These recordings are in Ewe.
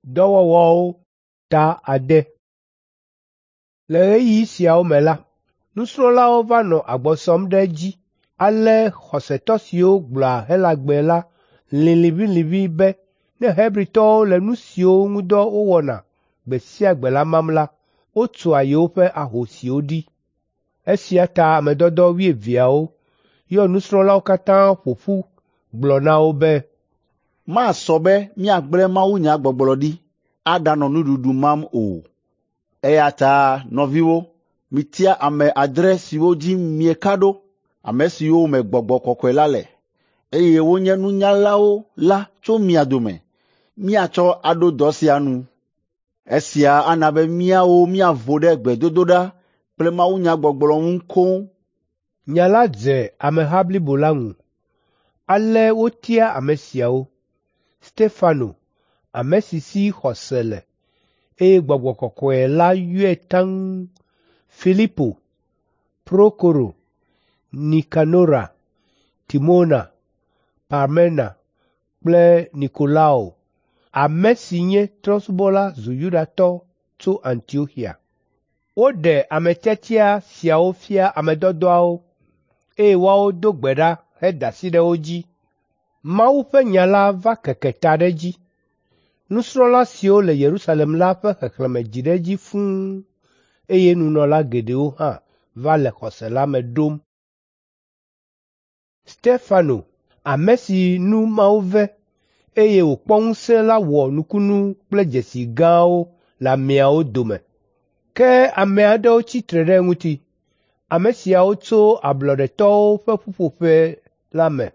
Dɔwɔwɔwo ta 6. Le ɣeyiɣi siawo me la, nusrɔ̃lawo va nɔ agbɔ sɔm ɖe edzi ale xɔsetɔ siwo gblɔa Helagbe la lĩ liʋĩliʋĩ be ne Hebritɔwo le nu siwo ŋu dɔ wowɔna gbe sia gbe la mam la, wotua yewoƒe ahosiwo ɖi. Esia ta ame dɔdɔ wuieveawo yɔ nusrɔ̃lawo katã ƒo ƒu gblɔ na wo be, “Masɔ be míagblẽ mawunyagbɔgblɔ ɖi aɖanɔ nuɖuɖu mam o. Eya ta nɔviwo, mitia ame adre siwo dzi mieka ɖo, ame siwo me Gbɔgbɔ Kɔkɔe la le, eye wonye nunyalawo la tso mia dome, míatsɔ aɖo dɔ sia nu. Esia ana be míawo míavo ɖe gbedodoɖa kple mawunyagbɔgblɔ ŋu koŋ.” Nya la dze ameha blibo la ŋu. Ale wotia ame siawo: Stefano, ame si si xɔse le, eye Gbɔgbɔ Kɔkɔe la yɔe taŋ, Filipo, Prokoro, Nikanora, Timona, Parmena kple Nikolao, ame si nye trɔ̃subɔla zu Yudatɔ tso Antioxia. Woɖe ame tiatia siawo fia ame dɔdɔawo, eye woawo do gbe ɖa heda asi ɖe wo dzi. Mawu ƒe nya la va keke ta ɖe edzi. Nusrɔ̃la siwo le Yerusalem la ƒe xexlẽme dzi ɖe edzi fũu, eye nunɔla geɖewo hã va le xɔse la me ɖom. Stefano, ame si nu Mawu ve, eye wòkpɔ ŋusẽ la wɔ nukunu kple dzesi gãwo le ameawo dome. Ke ame aɖewo tsi tre ɖe eŋuti. Ame siawo tso ablɔɖetɔwo ƒe ƒuƒoƒe la me.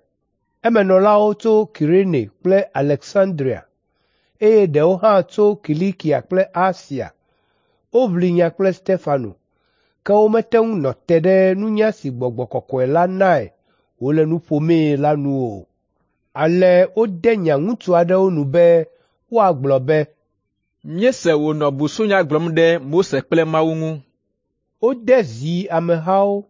Emenɔlawo tso Kirene kple Aleksandria, eye ɖewo hã tso Kilikia kple Asia. Woʋli nya kple Stefano, ke womete ŋu nɔ te ɖe nunya si Gbɔgbɔ Kɔkɔe la nae wòle nu ƒomee la nu o. Ale wode nya ŋutsu aɖewo nu be woagblɔ be, “Míese wònɔ busunya gblɔm ɖe Mose kple Mawu ŋu.” Wode zi amehawo,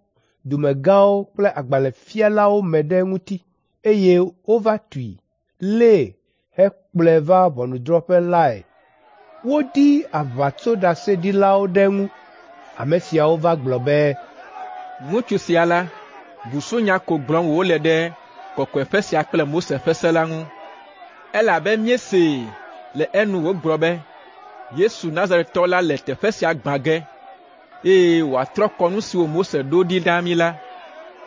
dumegãwo kple agbalẽfialawo me ɖe eŋuti, eye wova tui, lée hekplɔe va ʋɔnudrɔ̃ƒe lae. Wodi aʋatsoɖaseɖilawo ɖe eŋu. Ame siawo va gblɔ be, “Ŋutsu sia la, busunya ko gblɔm wòle ɖe kɔkɔeƒe sia kple Mose ƒe se la ŋu. Elabe míesee le enu wògblɔ be Yesu Nazaretɔ la le teƒe sia gbã ge, eye wòatrɔ kɔnu siwo Mose ɖo ɖi na mí la.”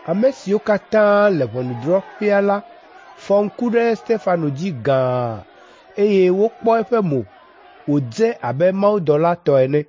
Ame siwo katã le ʋɔnudrɔ̃ƒea la fɔ ŋku ɖe Stefano dzi gãa, eye wokpɔ eƒe mo wòdze abe mawudɔla tɔ ene.